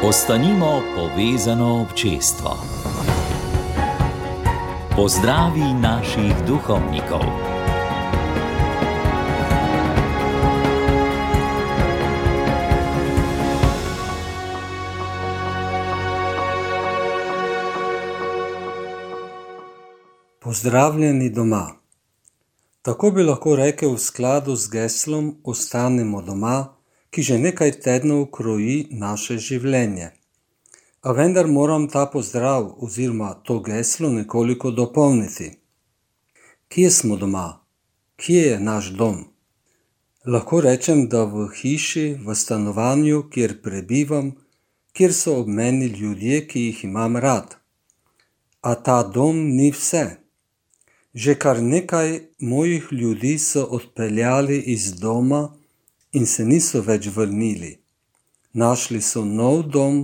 Ostanimo povezano občestvo. Pozdravi naših duhovnikov. Pozdravljeni doma. Tako bi lahko rekel v skladu z geslom Ostanimo doma, ki že nekaj tednov kroji naše življenje. A vendar moram ta pozdrav oziroma to geslo nekoliko dopolniti. Kje smo doma? Kje je naš dom? Lahko rečem, da v hiši, v stanovanju, kjer prebivam, kjer so ob meni ljudje, ki jih imam rad. A ta dom ni vse. Že kar nekaj mojih ljudi so odpeljali iz doma in se niso več vrnili. Našli so nov dom,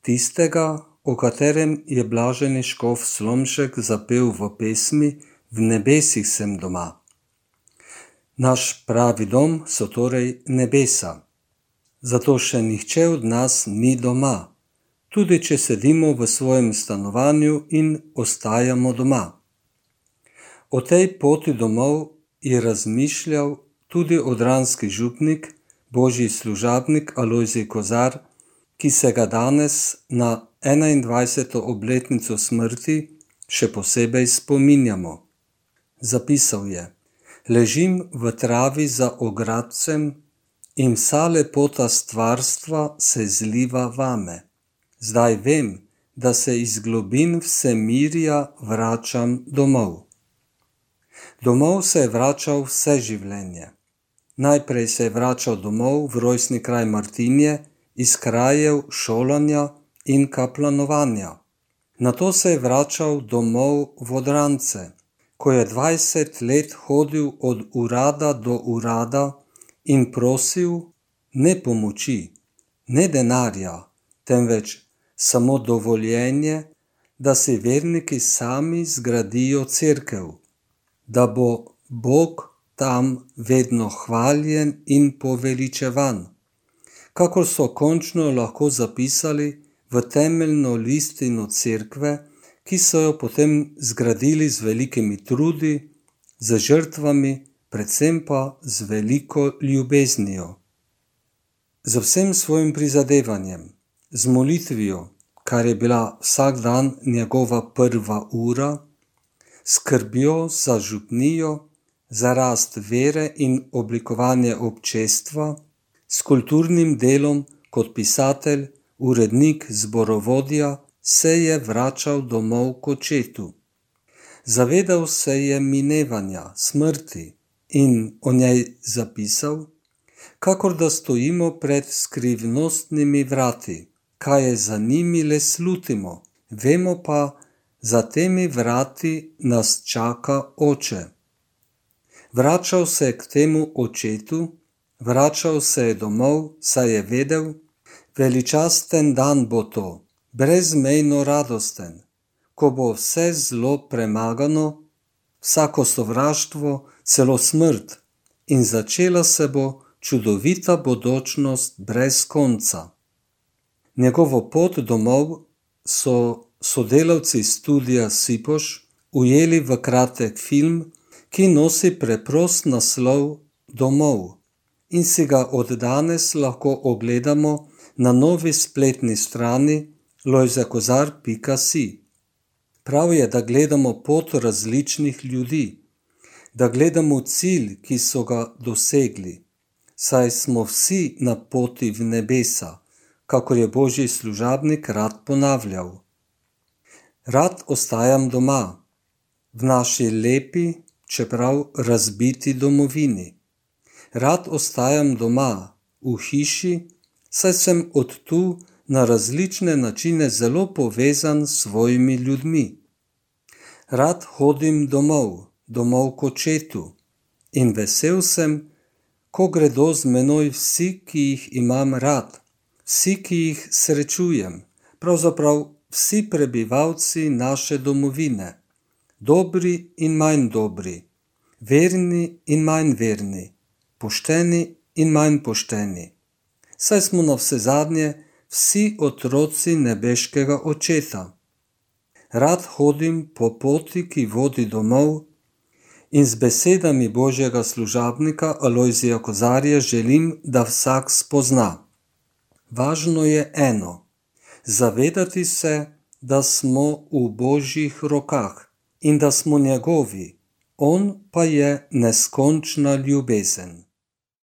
tistega, o katerem je blaženi škof Slomšek zapel v pesmi V nebesih sem doma. Naš pravi dom so torej nebesa. Zato še nihče od nas ni doma, tudi če sedimo v svojem stanovanju in ostajamo doma. O tej poti domov je razmišljal tudi odranski župnik, božji služabnik Alojzij Kozar, ki se ga danes na 21. obletnico smrti še posebej spominjamo. Zapisal je: Ležim v travi za ogradcem in vsa lepota stvarstva se zliva vame. Zdaj vem, da se iz globin vsemirja vračam domov. Domov se je vračal vse življenje. Najprej se je vračal domov v rojstni kraj Martinje, iz krajev šolanja in kaplanovanja. Nato se je vračal domov v Odrance, ko je 20 let hodil od urada do urada in prosil ne pomoči, ne denarja, temveč samo dovoljenje, da si verniki sami zgradijo cerkev, da bo Bog tam vedno hvaljen in poveličevan, kakor so končno lahko zapisali v temeljno listino cerkve, ki so jo potem zgradili z velikimi trudi, z žrtvami, predvsem pa z veliko ljubeznijo. Z vsem svojim prizadevanjem, z molitvijo, kar je bila vsak dan njegova prva ura, skrbjo za župnijo, za rast vere in oblikovanje občestva, s kulturnim delom kot pisatelj, urednik, zborovodja, se je vračal domov k očetu. Zavedal se je minevanja, smrti in o njej zapisal, kakor da stojimo pred skrivnostnimi vrati, kaj je za njimi le slutimo, vemo pa, za temi vrati nas čaka Oče. Vračal se je k temu očetu, vračal se je domov, saj je vedel, veličasten dan bo to, brezmejno radosten, ko bo vse zlo premagano, vsako sovraštvo, celo smrt, in začela se bo čudovita bodočnost brez konca. Njegovo pot domov so sodelavci studia Sipoš ujeli v kratek film, ki nosi preprost naslov Domov in si ga od danes lahko ogledamo na novi spletni strani lojzekozar.si. Prav je, da gledamo pot različnih ljudi, da gledamo cilj, ki so ga dosegli, saj smo vsi na poti v nebesa, kakor je božji služabnik rad ponavljal. Rad ostajam doma, v naši lepi, čeprav razbiti domovini. Rad ostajam doma, v hiši, saj sem od tu na različne načine zelo povezan s svojimi ljudmi. Rad hodim domov k očetu in vesel sem, ko gredo z menoj vsi, ki jih imam rad, vsi, ki jih srečujem, pravzaprav vsi prebivalci naše domovine, dobri in manj dobri, verni in manj verni, pošteni in manj pošteni. Saj smo navsezadnje vsi otroci nebeškega Očeta. Rad hodim po poti, ki vodi domov, in z besedami Božjega služabnika Alojzija Kozarja želim, da vsak spozna. Važno je eno, zavedati se, da smo v Božjih rokah in da smo njegovi, on pa je neskončna ljubezen.